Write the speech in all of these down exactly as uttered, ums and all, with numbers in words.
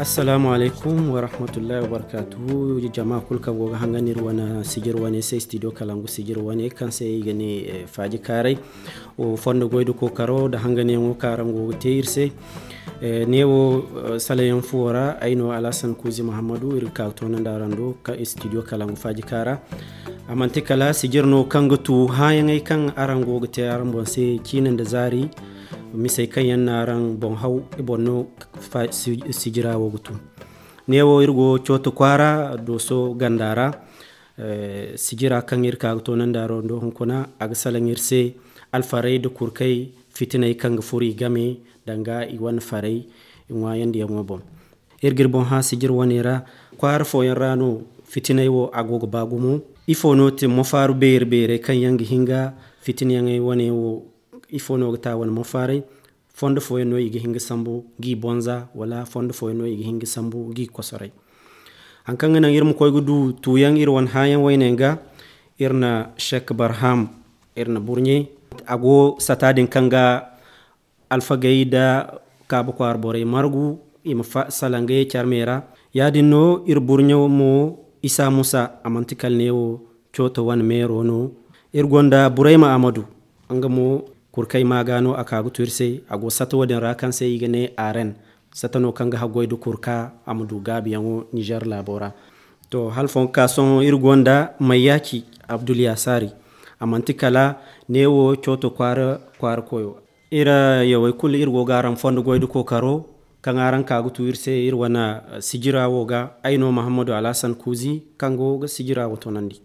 Assalaamu alaykum warahmatullahi wabarakaatuhu. Jama kulu kaŋ go ga hangan iri wane sijir wane se, studio kalangu sijir wane kaŋ se i ga ne, eh, faaji kaaray. Wo fondo goy da kookaro da hanganyaŋo kaŋ araŋ go ga te iri se. Eh, neewo, eh, salayaŋ fuwo ra ay no Alhassan Kuuzi Muhammadu, iri ga ka ga toonandi araŋ do ka studio kalangu faaji kaara. A manti kala sijir no kaŋ ga tu hããyaŋey kaŋ araŋ go ga te araŋ boŋ se ciine nda zaari. Misey kaŋ yaŋ na araŋ boŋ haw, i boŋ no fa-, si-, sijira wo ga tu. Neewo iri go Cooto kwaara, Dooso ganda ra, eh, sijira kaŋ iri ka ga toonandi araŋ do hunkuna, a ga salaŋ iri se alfarey nda kurkey fitiney kaŋ ga furo i game danga i wane farey i ŋwaayandiyaŋo boŋ. Iri ga iri boŋ hã sijir wane ra, kwaara fooyaŋ ra no fitiney wo a go ga ba gumo. Ifo no ti mafaaru beeri-beerey kaŋ yaŋ ga hin ga fitinyaŋey wane wo, ifo no ga ta wane mafaaray? Fondo fooyaŋ no i ga hin ga sambu g'i bonza, wala fondo fooyaŋ no i ga hin ga sambu g'i kosoray? Haŋ kaŋ ga naŋ iri ma koy ga du tuuyaŋ iri wane hããyaŋ wayne ga, iri na Shek Barham, iri na burɲe. A go sata din kaŋ ga alfagey nda Kaaba kwaara borey margu, i ma fa-, salaŋ ga ye care me ra. Yaadin no iri burɲo mo, Isa Musa, a manti kala neewo Cooto wane meero no. Iri gonda Burayma Amadu, nga mo kurkay maaga no a ka ga tu iri se. A go sata wo-din ra kaŋ se i ga ne Aren. Sata no kaŋ ga haggoy nda kurka a ma du gaabiyaŋo Nizer laabo ra. To, hala fooyaŋ ka sohõ iri gonda Mayyaaci Abdul Yaasari. A manti kala neewo Cooto kwaara, kwaara koyo. Iri yawey kulu iri go ga araŋ fondo goy nda kookaro kaŋ araŋ ka ga tu iri se iri wane, eh, sijira wo ga. Ay no Muhammadu Alhassan Kuuzi kaŋ go ga sijira wo toonandi.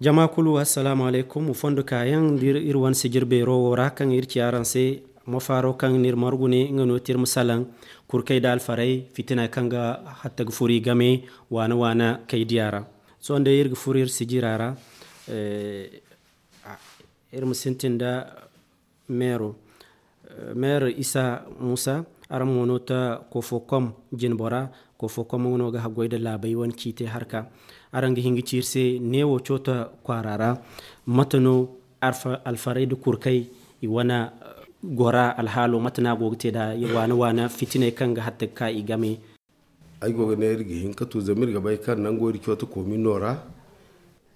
Jama kulu, assalaamu alaykum. Fondo kaayaŋ da iri, iri wane sijir beero wo ra kaŋ iri ci araŋ se, mafaaro kaŋ n'iri margu ne, nga no ti iri ma salaŋ kurkay da alfaray fitina kaŋ ga hatta ga furo i game waana-waana kay diya ra. Sohõ day iri ga furo iri sijira ra, eh, a, iri ma sintin da meero. Eh, meero Isa Musa, araŋ mo no ta Kofokom jinbora. Kofokom nga no ga haggoy nda laabey wane ciite harka. Araŋ ga hin ga ci iri se neewo Cooto kwaara ra, mate no alfa-, alfaray nda kurkay i wane, eh, gora alhaalo, mate no a go ga te nda waana-waana fitiney kaŋ ga hatta ga ka i game? Ay go ga ne iri ga hin ka tu, zama iri ga bay kaŋ nango iri Cooto komino ra,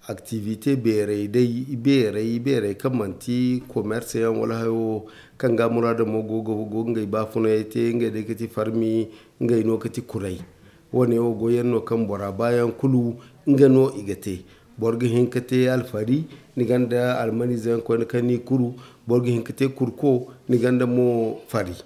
activité beerey day, ibeerey, ibeerey kaŋ manti commerce yaŋ wala hayo kaŋ ga muraado mo go ga, go ga ngey baafunayey te, ngey day ga ti farmi, ngey no ga ti kuray. Wo-ne wo goyyaŋ no kaŋ bora baayaŋ kulu nga no i ga te. Boro ga hin ka te alfari, ni gonda almaniize yaŋ koyne kaŋ n'i kuru, boro ga hin ka te kurko, ni gonda mo fari.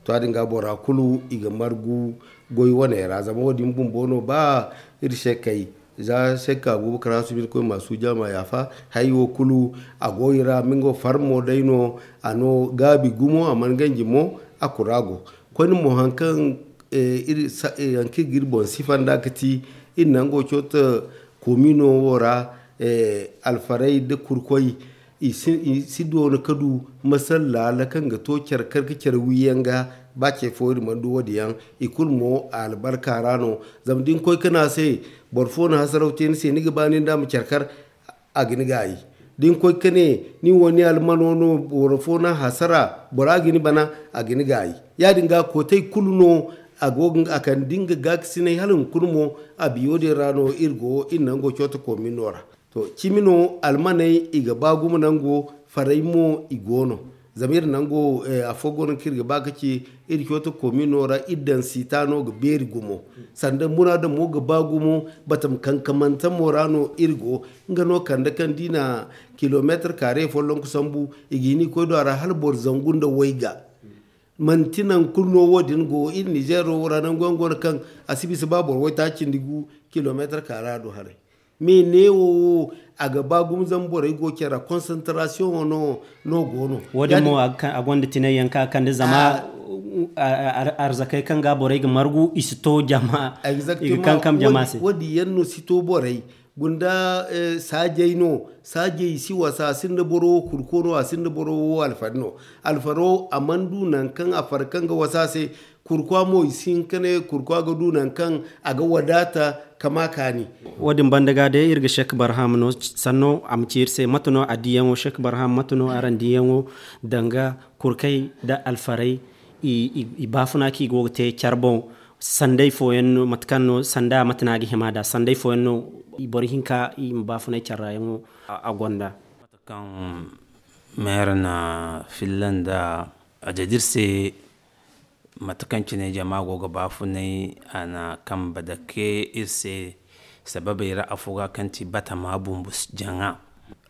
To, ya-din ga bora kulu i ga margu goy wane ra, zama wo-din bumbo no ba iri se kay. Za se ka Abubakar Hasumi Irkoy ma suuja ma yaafa, hay wo kulu a go i ra, ma nga farmo day no, a no gaabi gumo, a mana ganji mo, a kura go. Koyne mo haŋ kaŋ, eh, iri sa-, eh, haŋ kaŋ iri ga iri boŋ sifa nd'a ga ti, iri nango Cooto komino wo ra, eh, alfaray nda kurkoy, I si, i si doona ka du masalla laala kaŋ ga to care kar ka care wiyaŋ ga, ba ce fo iri mana du wo-din yaŋ. I kulu mo a albarka ra no. Zama da ni koy ka ne a se, boro fo na hasaraw te ni se, ni ga ba nin da a ma care kar, a ga ni gaayi. Da ni koy ka ne, ni wo ni almano no, boro fo na hasara, bora ga ni bana, a ga ni gaayi. Ya-din ga kootey kulu no, a go ga, a kande nga gaakasinay hala hunkuna mo, a biyo din ra no iri go, iri nango Cooto komino ra. To, cimi no almaney i ga ba gumo nango, farey mo i go no. Zama iri nango, eh, afo go no kaŋ iri ga ba ka ci, iri Cooto komino ra, iri daŋ sita no ga beeri gumo. Sanda muraado mo ga ba gumo, batama kankamante mo ra no iri go. Nga no kande kaŋ da i na kilomeetar kaare folloŋ ga sambu, i ga hin i koy do a ra hala boro zangu nda wayga. Manti nangu kulu no wo-din go, iri Nizeero wo ra nangu yaŋ go no kaŋ a si bisa ba boro waytaaci cindi gu kilomeetar kaara do haray. Me neewo wo, a ga ba gumo zama borey go care ra, concentrasiyoŋo no, no go no. Wo-din mo a ga ka-, a gonda tinay yaŋ kaŋ a kande zama Arzakey kaŋ ga borey ga margu i si to jama. I ga kankam jama se. Wodi yaŋ no si to borey gunda. Saajey no saajey si wasa a sinda boro wo kurko no a sinda boro wo alfari no. Alfaro a mana du nangu kaŋ a far kaŋ ga wasa se. Kurkwa mo i si hin ka ne kurkwa ga du nangu kaŋ a ga wadaata ka ma kaani. Wo- din banda ga day iri ga shek barham no sanno a ma ci iri se mate no a diyaŋo shek barham mate no araŋ diyaŋo danga kurkey nda alfarey i baafuna kaŋ i go ga te care boŋ. Sanday fooyaŋ no mate kaŋ no sanda mate no a ga hima nd'a sanday fooyaŋ no boro hinka i ma baafunay care ra yaŋo a gonda. Mate kaŋ meera na filla nda a jaddi iri se mate kaŋ cine jama go ga baafunay a na kambe dake iri se sababey ra afo ga kaŋ ti batama bumbu jaŋa.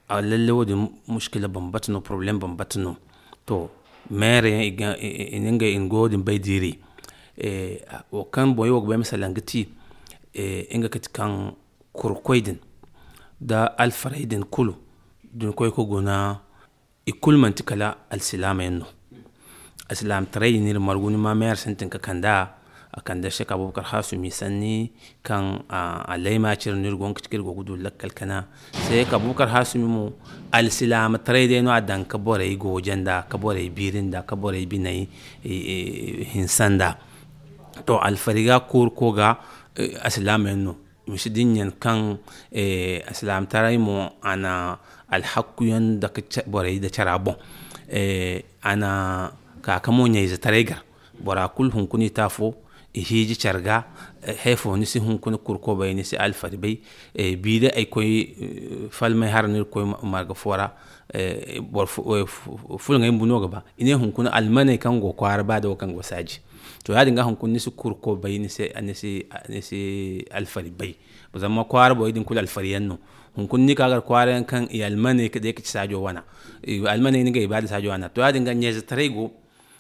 Lalle wo- din mushkila bambata no poroblem bambata no. To meera yaŋ i na ngey i na goyo din bay diiri. Wo kaŋ boŋ yaŋ wo ga bay masala nga ti nga kati kaŋ kurkoy din nda alfarey din kulu da ni koy ga guna i kulu manti kala alsilaama yaŋ no. Alsilaamataray din no iri margu ni ma meera sintin ka kand'a a kande shek abubakar hasumi sanni kaŋ a layma cire no iri go ga ci kaŋ iri go ga du lakkal kana. Shek abubakar hasumi mo alsilaamataray day no a daŋ ka borey gooje nd'a ka borey biiri nd'a ka borey biney hinsa nd'a. To alfari ga koori ko ga alsilaama yaŋ no. I ma si dinya kaŋ alsilaamataray mo a na alhakku yaŋ dake borey nda cara boŋ. A na ka ka mo ɲayzetaray gar bora kulu hunkuna i te afo i hiiji care ga. Haya fo ni si hunkuna kurko bay ni si alfari bay. Bi day ay koy falmay hara no iri koy marga fo ra. Boro fulaŋey bumbo no ga ba i ne hunkuna almaney kaŋ go kwaara ba day wo kaŋ go saaji. To ya- din ga hunkuna ni si kurko bay ni si alfari bay. Zama kwaara borey din kulu alfari yaŋ no. Hunkuna ni ka gar kwaara yaŋ kaŋ i almaney ga day ga ci saajo wana. Almaney ni ga ibaada saajo wana to ya- din ga ɲayzetaray go.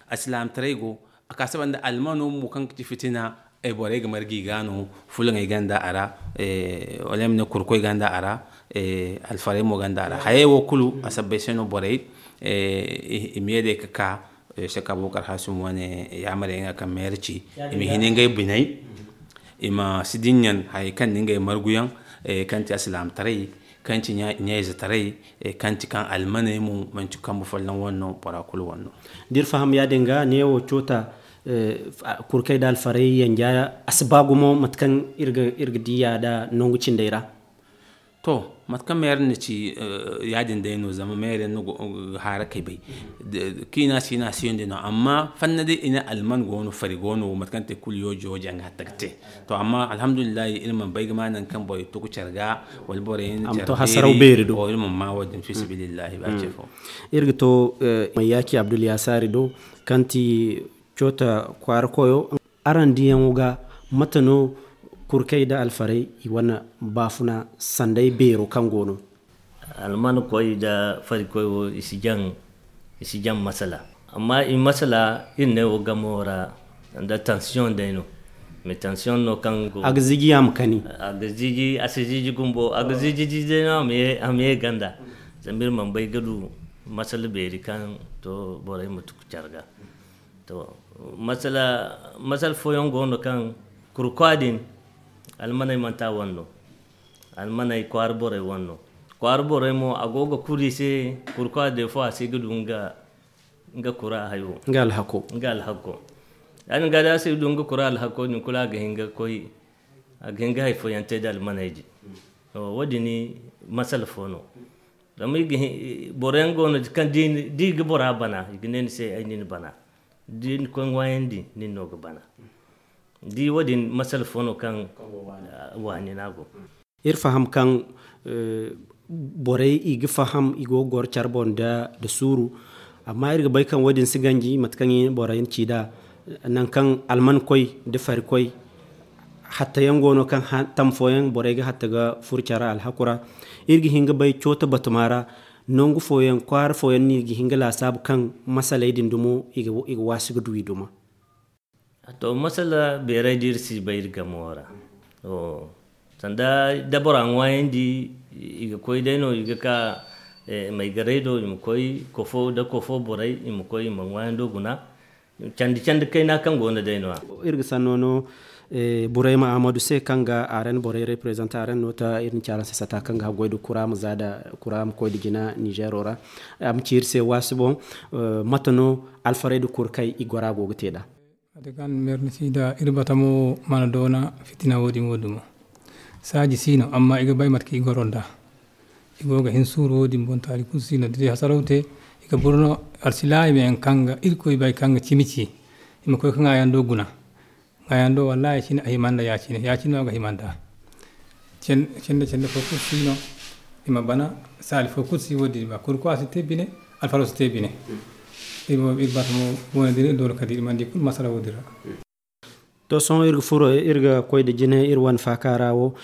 Alsilaamataray go. A ka saba nda almano mo kaŋ ga ci fitina. Borey ga marga i ga no fulaŋey gonda a ra. Wala ay ma ne kurkoy gonda a ra. Alfarey mo gonda a ra hayey wo kulu a sabbay se no borey i ma ye day ga ka. Sek abubakar hasum wane yaamarey nga kaŋ meera ci i ma hin ngey biney. I ma si dinya hayey kaŋ na ngey marguyaŋ kaŋ ti alsilaamataray kaŋ ti ɲayzetaray kaŋ ti kaŋ almaney mo manti kambe folloŋ wane no bora kulu wane no. Da iri faham ya- din ga neewo coota kurkey nda alfarey yanja a si ba gumo mate kaŋ iri ga diya nda nangu cindey ra. To mate kaŋ meera na ci ya- din day no zama meera yaŋ no ga haarakey bay. Kaŋ i na si i na a siyandi no amma fanna day i ne alman go no fari go no mate kaŋ te kulu yoojo yoojo yaŋ ga hatta ga te. To amma alhamdulillahi iri mana bay ga ma nangu kaŋ borey tugu care ga wala borey na care beeri iri mana ma wo- din fi sabilillahi ba ce fo. Iri ga to mayyaci abdul yasaari do kaŋ ti coota kwaara koyo. Araŋ diyaŋo ga mate no kurkey nda alfarey i wane baafuna sanday beero kaŋ go no? Alman koy nda fari koy wo i si jaŋ masala. Amma i masala iri ne wo gamo ra nda tansiyoŋ day no. Mais tansiyoŋ no kaŋ go a ga ziji a ma kani. A ga ziji a si ziji gumbo a ga ziji ziji day no a ma ye ganda. Zama iri mana bay ga du masala beeri kaŋ to borey ma tuku care ga. To masala fooyaŋ go no kaŋ kurkwa din almaney manti a wane no. Almaney kwaara borey wane no. Kwaara borey mo a go ga kuri i se kurkwa day fo a si ga du nga kura hayo nga alhako. Ya- din ga day a si ga du nga kura alhako din kulu a ga hin ga koy a ga hin ga hari fooyaŋ te nda almaney din. Wo- din masala fo no. Zama boro yaŋ go no kaŋ da i ga bora bana i ga ne ni se ay na ni bana. Da ni koy ŋwaayandi nin no ga bana. Da wo- din masala fo no kaŋ waani no a go. Iri faham kaŋ borey i ga faham i go ga goro care boŋ nda suuru. Amma iri ga bay kaŋ wo- din si ganji mate kaŋ borey na ci nd'a. Nangu kaŋ alman koy nda fari koy hatta yaŋ go no kaŋ tam fooyaŋ borey ga hatta ga furo care alhaku ra. Iri ga hin ga bay cooto batama ra nangu fooyaŋ kwaara fooyaŋ no i ga hin ga laasaabu kaŋ masaley din dumo i ga waasi ga du i duma. To masala beeray da iri si bay iri gamo ra. Sanda da bora ŋwaayandi i ga koy day no i ga ka maygarey do i ma koy kofo da kofo borey i ma koy i ma ŋwaayando guna. Candi candi kayna kaŋ go no day no-ya. Iri ga sanno no Burayma Ahmadu se, kaŋ ga aren borey reprezanta, aren no ta iri na ci araŋ se sata kaŋ ga haggoy da kuraama za da kuraama koy da jina Nizero ra. A ma ci iri se waasi boŋ, mate no alfarey da kurkay i gora go ga te nd'a? Mate kaŋ meernisi da iri batamo mana doona fitina wo-din wo dumo. Saaji si no, amma i ga bay mate kaŋ i goro nd'a. I go ga hin suuru wo-din boŋ, taali kulu si no. Da day hasaraw te, i ga burno alsilaayi meyaŋ kaŋ ga Irkoy bay kaŋ ga cimi ci. I ma koy ka ŋaayaŋ do guna. Ŋaayaŋ do wallaahi cine a hima nda ya-cine, ya-cine no a ga hima nd'a. Cen-, cende cende fo kulu si no. I ma bana saali fo kulu si wo-din ba. Kurkuwa si te bine, alfaro si te bine. Iri mo, iri batamo wane din, iri doona kala da iri mana di kulu masala wo-din ra. To, sohõ iri ga furo, iri ga koy da jine iri wane faaka ra wo.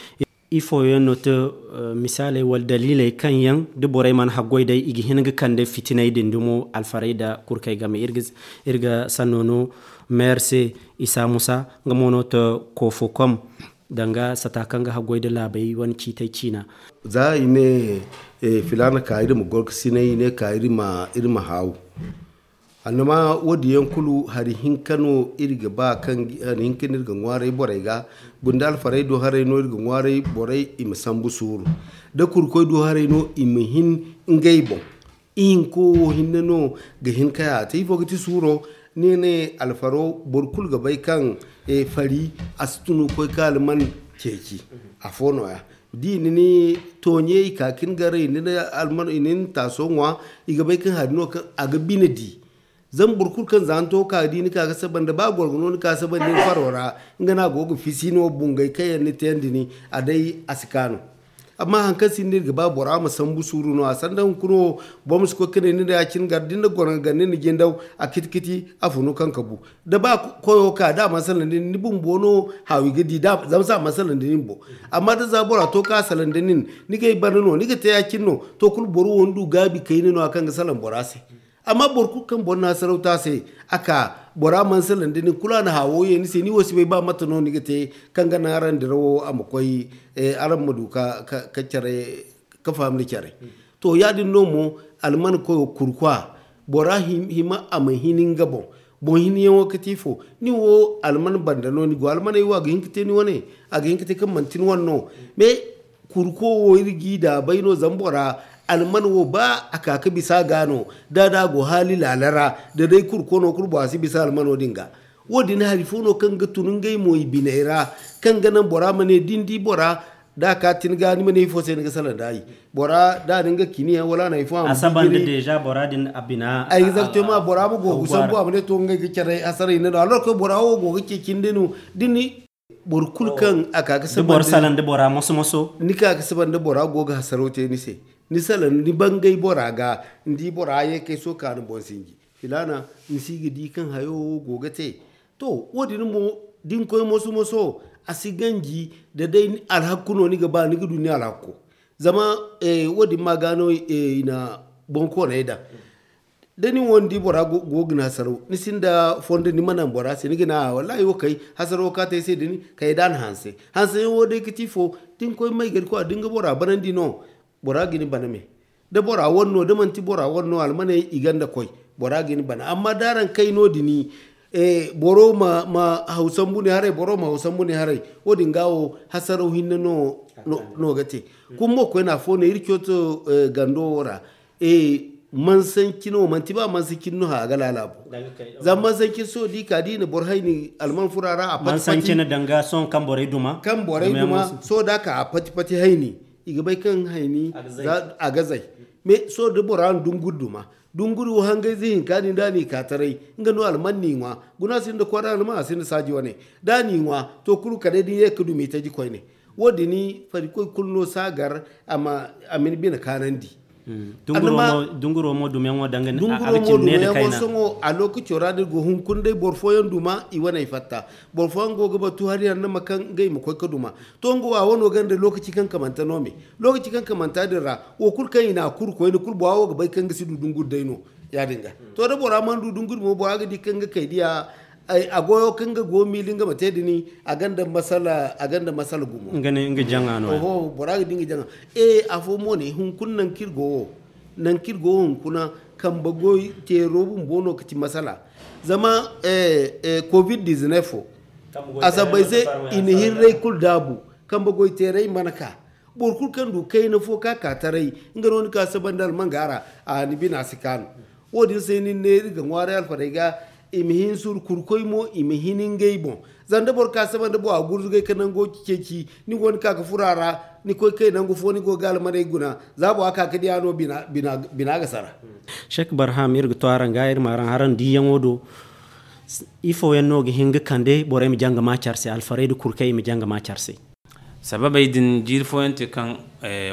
Ifo yaŋ no te, eh, misaaley wala daliiley kaŋ yaŋ da borey mana haggoy day, i ga hin ga kande fitiney din dumo alfarey da kurkay game? Iri ga, iri ga sanno no meer se, Isa Musa, nga mo no te Kofokom, danga sata kaŋ ga haggoy da laabey wane ciitey ciina. Za i ne, eh, filaana ka iri ma gorkasinay, i ne ka iri ma, iri ma haaw. Annama wo-din yaŋ kulu, hari hinka no iri ga ba kaŋ, hari hinka no iri ga ŋwaaray borey ga. Bunda alfarey do haray no iri ga ŋwaaray borey, i ma sambu suuru. Da kurkoy do haray no, i ma hin ngey boŋ. Ihinko wo hinne no ga hin ka ya te. Ifo ga ti suuro? Ni ne alfaro, boro kulu ga bay kaŋ, eh, fari, a si tunu koy ka alman ceeci. Afo nooya. Da i na ni tooɲe, i ka ka ni gar, i na ni alman, i na ni taaso ŋwa, i ga bay kaŋ hari no kaŋ a ga bine di. Zama boro kulu kaŋ za ni to ka di ni ka ga saba nda, ba gorgo no ni ka saba nda ni faro ra, nga no a go ga fisi no bungay kaŋ yaŋ ni tayandi ni, a day a si kaanu. Amma haŋ kaŋ sinda iri ga ba bora ma sambu suuru no, a sanda hunkuna wo, boro ma si koy ka ne ni nda ya-cine gar, da ni na goro ga gande ni na jindaw, a kiti-kiti, a funu kaŋ ka bu. Da ba koyo ka, da a mana salaŋ da nin, ni bumbo no haawi ga di, da, zama se a mana salaŋ da nin bo. Amma da za bora to ka salaŋ da nin, ni g'ay bana no, ni ga te ya-cine no, to kulu boro wo ni du gaabi kayna no-ya kaŋ ga salaŋ bora se. Amma boro kulu kaŋ boro na hasaraw te a se, a ka, bora mana salaŋ da nin, kulu a na haawo ye ni se, ni wo si bay ba mate no ni ga te kaŋ ga naŋ araŋ dirawo a ma koy, eh, araŋ ma du ka, ka, ka care, ka faham nda care. To, ya-din no mo, alman koyo kurkwa, bora him-, hima a ma hin nga boŋ. Boŋ hinyaŋo ga ti ifo? Ni wo alman banda no ni go, almaney wo a ga hin ka te ni wane, a ga hin ka te kaŋ manti ni wane no. Mais, kurko wo iri g'i daabay no, zama bora, alman wo ba a ka ka bisa ga no, da, da a go haali laala ra, da day kurko no kulu bora si bisa almano din ga. Wo-din hari fo no kaŋ ga tun ngey mo i biney ra, kaŋ ga naŋ bora ma ne da ni di bora, da a ka tin ga, ni ma ne ifo se ni ga salaŋ da ay. Bora, da a na nga kiniyaŋ wala a na ifo a ma saba nda deja bora din a bina. Exactement, bora ma go ga sambu, a ma ne to ngey ga care hasaray ne no. Alors que bora wo go ga ce cindi no, da ni boro kulu kaŋ a ka ga saba nda bora moso-moso. Ni ka ga saba nda bora go ga hasaro te ni se. Ni salaŋ, ni bangay bora ga, ni di bora ye kay so ka ni boŋ sinji. Filaana, ni si ga di kaŋ hayo wo go ga te. To, wo-din mo, da ni koy moso-moso, a si ganji, da day alhakku no ni ga ba, ni ga du ni alhakko. Zama, eh, wo-din ma ga no, eh, i na boŋkooney daŋ. Da ni wo ni di bora go, go ga ni hasaraw, ni sinda fondo ni ma naŋ bora se, ni ga ne a, wallahi wo kay, hasaraw ka te ay se da ni kay da a na hanse. Hanseyaŋ wo day ga ti fo, da ni koy may gari kwa, da ni ga bora banandi no, bora ga ni bana me. Da bora wane no, da manti bora wane no, almaney i gonda koy, bora ga ni bana. Amma da araŋ kay no-din, eh, boro ma, ma haw sambu ni haray, boro ma haw sambu ni haray, wo-din ga wo hasaraw hinne no, no, no ga te. Kuma mo koyne afo no iri cooto, eh, gando wo ra. Eh, mansanci no, manti ba mansanci no hã a ga laala bo. Zama mansanci sohõ da i ka da i na boro hayni alman fura ra, a pati-pati. Mansanci na danga sohõ kaŋ borey duma. Kaŋ borey duma, sohõ da a ka a pati-pati hayni, i ga bay kaŋ hayni a ga zay. Mais sohõ da bora na dunguri duma, dunguri wo hangayze hinka din da a n'i ka taray, nga no alman n'i ŋwa. Guna sinda kwaara alman, a sinda saaji wane. Da a n'i ŋwa, to kulu kala day da ni ye ga dumi taji koyne. Wo-din, farikoy kulu no si a gar, a ma, a ma ni bine kaanandi. Dunguro mo, dunguro mo dumiyaŋo danga a ga cine ne da kayna. Sohõ a lokaco ra da iri go hunkuna day boro fooyaŋ duma, i waney fatta. Boro fooyaŋ go ga batu hari hanno ma kaŋ ngey ma koy ga duma. To, nga wo a wano gonda lokaci kaŋ kamante no me. Lokaci kaŋ kamanta din ra, wo kulu kaŋ i n'a kuru koyne, kulu bora wo ga bay kaŋ nga si du dunguri day no. Ya-din ga. To, da bora mana du dunguri mo, bora ga di kaŋ ga kay diya, ay, a goyo kaŋ ga go miili nga ma te din, a gonda masala, a gonda masala gumo. Nga ne, nga jaŋa no. Oho, bora ga di nga jaŋa. Eh, afo mo ne, hunkuna nangu kaŋ iri go wo, nangu kaŋ iri go wo hunkuna, kambe goy teero bumbo no ga ti masala. Zama covid dix-neuf wo, a sabbay se i na hirray kulu daabu. Kambe goy teeray mana ka. Boro kulu kaŋ du kayna fo ka ka taray, nga no ni ka saba nda almanga ra. A ni bina si kaanu. Wo- din se ni ne iri ga ŋwaaray alfarey ga, i ma hin suru kurkoy mo i ma hin ngey boŋ. Zama da boro ka saba nda boŋ a gurzugay ka nango ceeci, ni go ni ka ga furo a ra, ni koy kay nangu fo ni go ga almaney guna. Za boŋ a ka ga di a no bina ga sara. Shek barham iri ga to araŋ ga iri ma araŋ haraŋ diiyaŋo do. Ifo yaŋ no ga hin ga kande borey ma jaŋ ga ma care se alfarey nda kurkey i ma jaŋ ga ma care se? Sababey din jiiri fooyaŋ te kaŋ,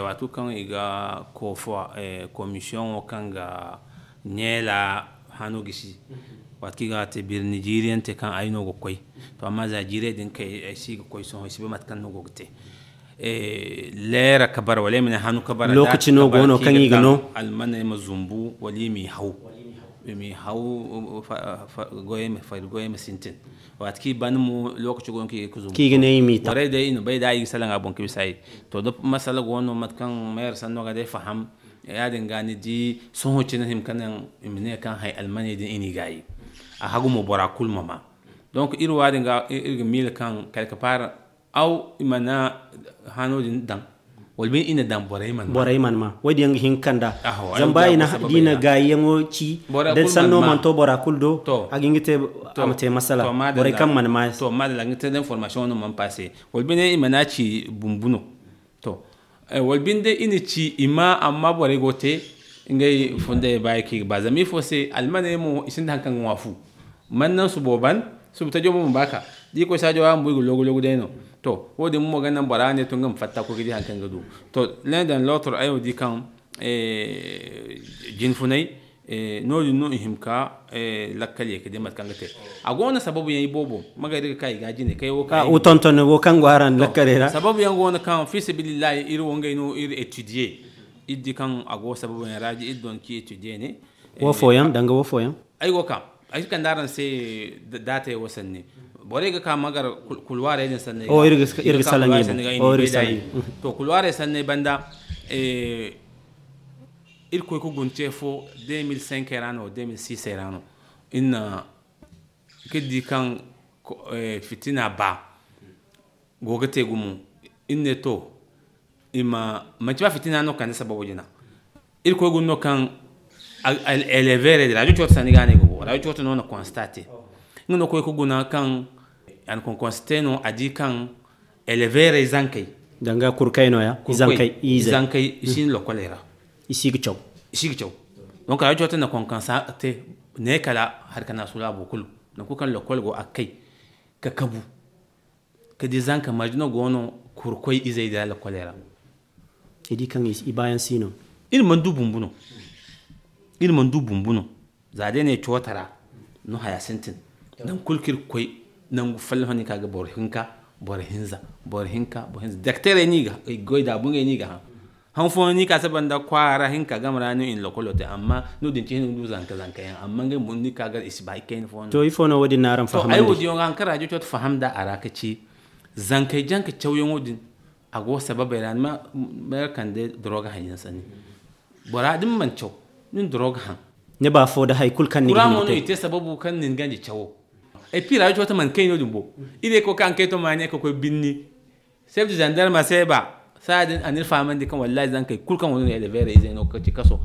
waati kaŋ i ga koofo komisiyoŋo kaŋ ga neela hano gisi. Waati kaŋ i ga te birni jiiri yaŋ te kaŋ ay no ga koy. To amma za jiirey din kay ay si ga koy sohõ ay si bay mate kaŋ no go ga te. Leera ka bara wala ay ma ne hanu ka bara lokaci no go no kaŋ i ga no almaney ma zumbu wala i m'i haw. I m'i haw. Goyey ma fari goyey ma sintin. Waati kaŋ i ban mo lokaci go no kaŋ i ga zumbu kaŋ i ga ne i m'i taŋ. Borey day i na bay da i ga salaŋ a boŋ ka bisa i. To da masala go no mate kaŋ mayar sanno ga day faham. Ya- din ga ni di sohõ cine hima ka naŋ i ma ne kaŋ hay almaney din i n'i gaayi. A hagu mo bora kulu ma ma. Donc iri wo- din ga iri ga miila kaŋ quelque part aw i mana hano din daŋ. Wala bine i na daŋ borey mana ma. Borey mana ma wo- din yaŋ ga hin ga kanda. Zama ba i na gaayiyaŋo ci da sanno mana to bora kulu do. A ga hin ga te a ma te masala borey kaŋ mana ma. To madalla ga te da information no mana passe. Wala bine i mana ci bumbu no. To wala binde i na ci i ma amma borey go te ngey fundey baayi kaŋ i ga ba zama ifo se almaney mo i sinda hari kaŋ ga ŋwa fu. Man naŋ subo ban subu tajo mo ma ba ka da i koy saajo ra bumbo i ga loogu loogu day no. To wo- din mo ga naŋ bora ne to nga ma fatta koy ga di hari kaŋ ga du. To l'un dans l'autre ay wo di kaŋ jine funay no- din no i hima ka lakkal ye ka di mate kaŋ ga te. A go no sababu yaŋ iboobo magari ga ka i ga jine kay wo ka tonton wo kaŋ go araŋ lakkaley ra sababu yaŋ go no kaŋ fi sabilillahi iri wo ngey no iri étudier. Iri di kaŋ a go sababu yaŋ ra iri don ki étudier ne. Wo fooyaŋ danga wo fooyaŋ ay go ka ay si kande araŋ se daatey wo sanni. Borey ga ka magar kulwaarey din sanni iri ga salaŋ i boŋ. To kulwaarey sanni banda iri koy ga guna ce fo deux mille cinq ra no deux mille six ra no iri na ga di kaŋ fitina ba go ga te gumo. Iri ne to i ma manci ba fitina no kande sababo jina. Iri koy guna no kaŋ elevere de radio coota sani ga ne go radio coota no na constate. Nga no koy ga guna kaŋ a na konkonse te no a di kaŋ elevere zankey danga kurkay no ya i zankey i si hin lokoley ra. I si ga caw i si ga caw. Donc radio coota na konkonse te ne kala hari kana sula bo kulu. Nangu kaŋ lokol go a kay ka kabu ka di zanka marje no go no kurkoy izey da lakoley ra. I di kaŋ i baayaŋ si no. Iri mana du bumbu no. Iri mana du bumbu no. Za day ne coota ra no haya sintin. Nangu kulu kaŋ iri ga koy nangu folloŋ ni ka ga boro hinka boro hinza boro hinka boro hinza dakteerey no i ga goy da bungey no i ga haŋ. Han fooyaŋ ni ka saba nda kwaara hinka game ra no i na lokolo te amma no- din cine ni du zanka zanka yaŋ amma ngey bumbo ni ka ga i si ba ikayna fooyaŋ. To ifo no wo- din no araŋ fahamandi? Ay wo- din yaŋ ga haŋ kaŋ radio coota faham nda a ra ka ci zankey jaŋ ka cawyaŋo din. A go sababey ra ni ma mayar kande doroga haŋ yaŋ sanni. Bora da ni mana caw ni na doroga haŋ. Ni ba fo da hari kulu kaŋ ni ga hima ga te. I te sababu kaŋ nin ganji cawo. Et puis radio coota mana kay no- din bo. Iri ye ka koy ka ankayto maani ka koy binni. Chef de gendarme a se ba saaya din a n'iri fahamandi kaŋ wallahi zankey kulu kaŋ go no elevere izey no ka ci kaso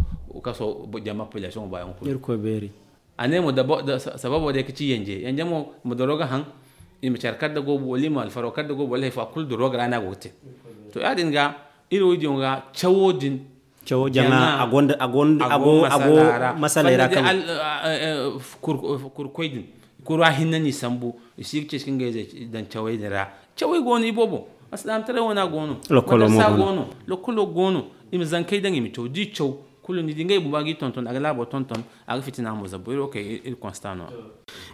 jama population baayaŋ kulu. A ne mo sababo day ka ci yanje yanje mo ma doroga haŋ. I ma care kar da goobu wala i ma alfaro kar da goobu wala hari fo a kulu doroga ra no a go ga te. To ya- din ga iri wo- diyaŋ ga cawo din. Cawo jama a gonda a gonda a go a go masaley ra kaŋ kurkoy din kura hinne no i sambu. I si ga ceeci ka ngey zey daŋ cawey din ra. Cawey go no iboobo. Alsilaamataray wane a go no. Lokolo mo go no. Lokolo go no. I ma zankey daŋ i ma caw da i caw kulu ni di ngey bumba ga i tonton a ga laabo tonton. A ga fitina mo zabbo iri wo kay iri constat no.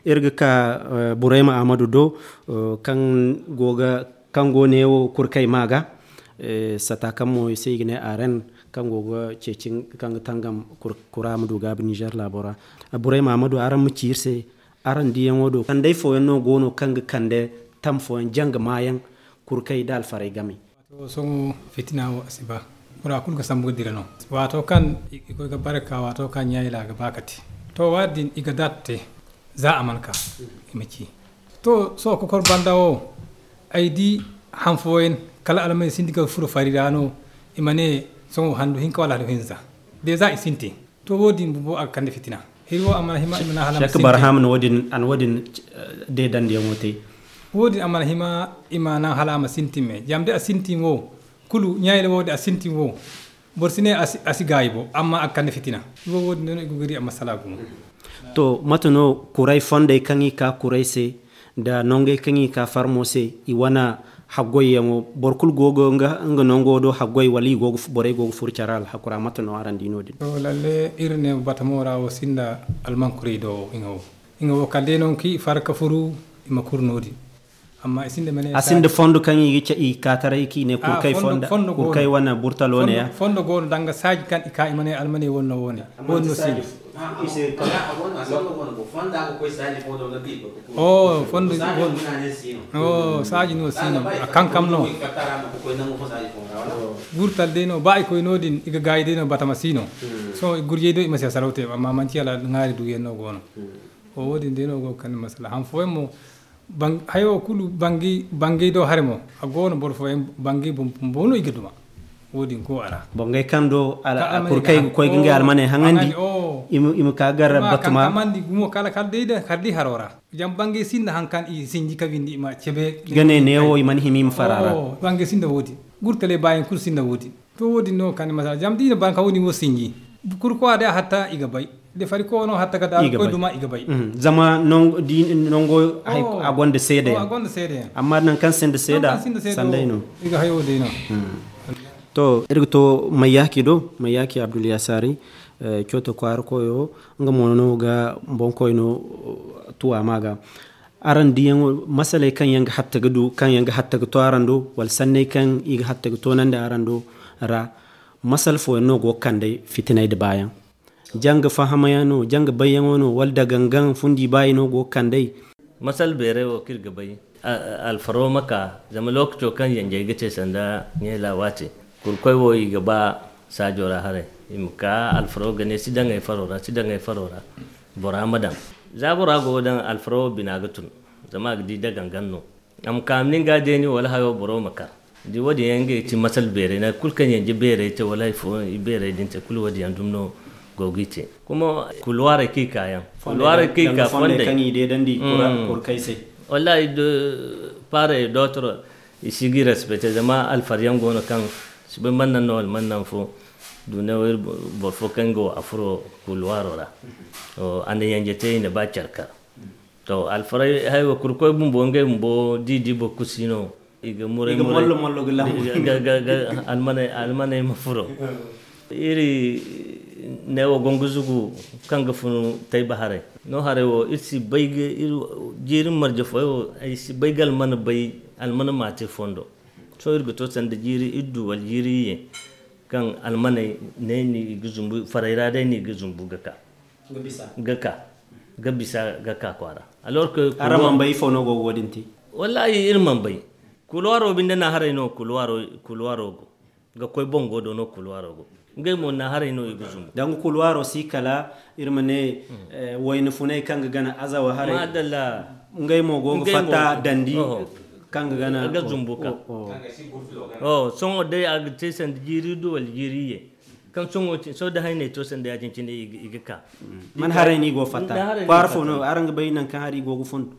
Iri ga ka burayma ahmadu do kaŋ go ga kaŋ go neewo kurkay ma ga. Sata kaŋ mo i se i ga ne aren kaŋ go ga ceeci kaŋ ga tangam kura ma du gaabi nizer laabo ra. Burayma ahmadu araŋ ma ci iri se araŋ diyaŋo do kandey fooyaŋ no go no kaŋ ga kande tam fooyaŋ janga maayaŋ kurkay nda alfarey game. Sohõ fitina wo a si ba bora kulu ga sambu ga dira no. Waato kaŋ i koy ga bare ka waato kaŋ ɲaayila ga ba kate. To waadin i ga daata te. Za a mana ka i ma ci. To sohõ kokor banda wo, ay di han fooyaŋ kala almay sinda ga furo fari ra no. I ma ne sohõ handu hinka wala handu hinza de za i sintin. To wo- din bumbo a ga kande fitina. Hiri wo a mana hima i ma naŋ hala a ma sintin. Barham no wo- din a na wo- din deedandiyaŋo te. Wo- din a mana hima i ma naŋ hala a ma sintin me zama da a sintin wo, kulu ɲaayila wo da a sintin wo, boro si ne a si gaayi bo amma a ga kande fitina. Wo- wo- din day no i go ga di a masala gumo. To mate no kuray fondey kaŋ i ka kuray se nda nongey kaŋ i ka farmo se, i wane haggoyyaŋo boro kulu go ga nga nongo do haggoy wala i go ga borey go ga furu care alhakura mate no araŋ di no- din? To lalle iri ne batamo ra wo sinda almankurey do wo i ŋa wo kala day no nga kaŋ i far ga furu i ma kuru no- din. Amma i sinda mane a sinda fondo kaŋ i ga ce i kaataray kaŋ i ne kurkay fonda kurkay wane burtalo ne ya. Fondo go no danga saaji kaŋ i ka i ma ne almaney wane no wo- ne wo- ne no sinda. Fondo go no saaji no si no a kankam no. Gurtal day no ba i koy no- din i ga gaayi day no batama si no. Sohõ gurjey do i ma si a saraw te amma manti hala ŋaari duuyaŋ no go no. Wo- din day no go ga kande masala han fooyaŋ mo. Hayo kulu bangay do hare mo a go no boro fooyaŋ bangay bumbo no i ga duma. Wo- din go a ra bangay kaŋ do kurkay ga koy ga ngey almaney haŋandi. I ma ka gar batuma kamandi gumo kala kala day da kala day haro ra. Zama bangay sinda haŋ kaŋ i sinji ka windi i ma cebe ga ne neewo i mana hima i ma fara ra. Bangay sinda wo- din gurtaley baayaŋ kulu sinda wo- din. To wo- din no ga kande masala zama da i na banka wo- din wo sinji. Kurkowa day a hatta i ga bay. Da fari kowa no hatta ga da koy duma i ga bay. Zama nango a gonda seedeyaŋ. Amma nangu kaŋ sinda seeda sanday no. I ga hayo day no. To iri ga to mayyaki do mayyaki abdul yasari. Coto kwaara koyo nga mo no ga boŋkoy no tuwa ma ga. Araŋ diyaŋo masaley kaŋ yaŋ ga hatta ga du kaŋ yaŋ ga hatta ga to araŋ do wala sanney kaŋ i ga hatta ga toonandi araŋ do ra. Masal fooyaŋ no go ga kandey fitiney nda baayaŋ? Janga fahamayaŋ no janga bayyaŋo no wala da gangaŋ fundi baayi no go ga kandey? Masal beerey wo kaŋ iri ga bay alfaro ma ka zama lookaco kaŋ yanjey ga te sanda ɲeela waate. Kurkoy wo i ga ba saajo ra haray i ma ka alfaro ga ne si daŋ ay faro ra si daŋ ay faro ra. Bora ma daŋ za bora go ga daŋ alfaro wo bina ga tun. Zama a ga di da gangaŋ no a ma ka a ma nin ga deeni wala hayo boro ma kar. Da wo- din yaŋ ngey ti masal beerey nangu kulu kaŋ yanje beerey te wala hari fo i beerey din te kulu wo- din yaŋ dumi no go ga i te. Kuma kuluwarey kaŋ i ka yaŋ kuluwarey kaŋ i ka fondey kaŋ i deedandi kurkay se. Wallahi paarey dootoro i si ga i respecte zama alfar yaŋ go no kaŋ si bay mana naŋ no wala mana naŋ fo. Dunewo iri boro fo kaŋ ga wo a furo kuluwaro ra. A na yanje te i na ba care kar. To alfaray haywa kurkoy bumbo ngey bumbo di di boro kulu si no. I ga muray muray almaney ma furo. Iri neewo gongo zugu kaŋ ga funu tayba haray no haray wo iri si bay ga iri jiiri marje foy wo ay si bay ga almana bay almana ma te fondo. Sohõ iri ga to sanda jiiri iri du wala jiiri iyye kaŋ almaney ne no i ga zumbu faray ra day no i ga zumbu ga ka ga ka ga bisa ga ka kwaara. Alors que araŋ man bay ifo no go ga wo- din te? Wallahi iri man bay. Kuluwaro binde na haray no kuluwaro go ga koy bongo do no kuluwaro go. Ngey mo na haray no i ga zumbu danga kuluwaro si kala iri ma ne wayna funay kaŋ ga gana azawa haray. Madalla. Ngey mo go ga fatta dandi kaŋ ga gana ga zumbu ka. Sohõ day a ga te sanda jiiri du wala jiiri iyye. Kaŋ sohõ da hayney to sanda ya- din cine i ga ka. Man haray no i go fatta kwaara fo no araŋ ga bay nangu kaŋ hari go ga fun?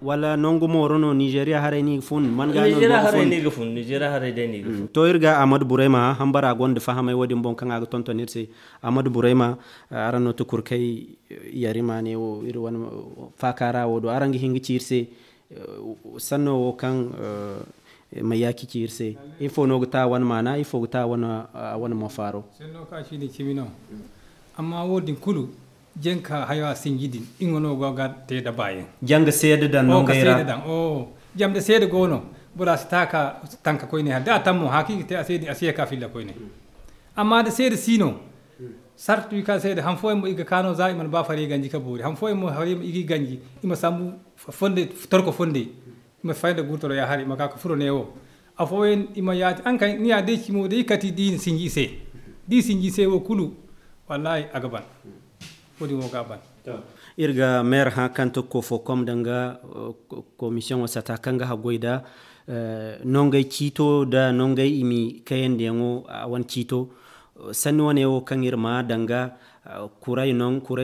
Wala nangu mooro no nizeeriya haray no i ga fun? Man ga no i go ga fun? Nizeeriya haray day no i ga fun. To iri ga ahmadu burayma hambara gonda fahamay wo- din boŋ kaŋ a ga tonton iri se. Ahmadu burayma, araŋ no tukurkay yarima ne wo iri wane faaka ra wo do araŋ ga hin ga ci iri se. Sanno wo kaŋ mayyaki ci iri se ifo no ga ta wane maana ifo ga ta wane mafaaro? Sanno ka ci din cimi no. Amma wo- din kulu jenka hayo a sinji din nga no go ga te da baayaŋ. Janga seeda daŋ no ngey ra. Jama da seeda go no bora si ta ka tanka koyne hala da a taŋ mo haka i ga te a se din a si ye ka filla koyne. Amma da seeda si no sartu i ka seeda han fooyaŋ mo i ga ka no za i mana ba fari ganji ka boori han fooyaŋ mo hari i ga i ganji i ma sambu torko fondey. I ma fay nda gurtalo ya hari i ma ka ga furo neewo. Afooyaŋ i ma yaati haŋ kaŋ ni ya day cimo day kati da i na sinji i se da i sinji i se wo kulu. Wallahi a ga ban. Wo- din wo ga a ban. Iri ga meer hã kaŋ to koofo kom danga komisiyoŋo sata kaŋ ga haggoy da nongey ciito da nongey imi kayandiyaŋo a wane ciito. Sanni wane wo kaŋ iri ma danga kuray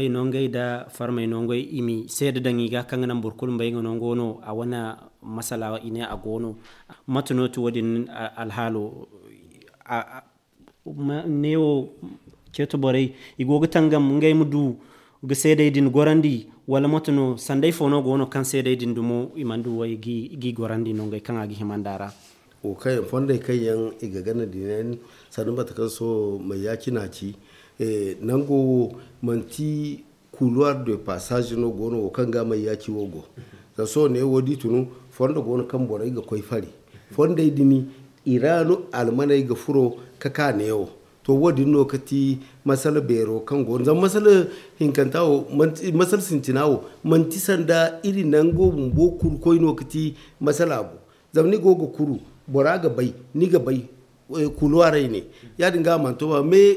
nongey da farmey nongey imi seeda daŋ i ga kaŋ ga naŋ boro kulu ma bay nga no nga no a wane masala i ne a go no. Mate no ti wo- din alhaalo? Neewo ceeto borey i go ga tangam ngey ma du ga seedey din gorandi wala moto no sanday fo no go no kaŋ seedey din dumo i mana du way g'i gorandi nongey kaŋ a ga hima nd'a ra? Wo kaŋ yaŋ fondey kaŋ yaŋ i ga gana din yaŋ sanda mate kaŋ sohõ mayyaaci no a ci. Nango wo manti kuluwar de passage no go no wo kaŋ ga mayyaaci wo go. Zama sohõ ne wo da i tunu fondo go no kaŋ borey ga koy fari fondey din i ra no almaney ga furo ka ka neewo. To wo- din no ga ti masala beero kaŋ go no zama masala hinkanta wo masala sintina wo manti sanda iri nango bumbo kuru koy no ga ti masala bo. Zama ni go ga kuru bora ga bay ni ga bay kuluwarey ne. Ya- din ga a mana to ba mais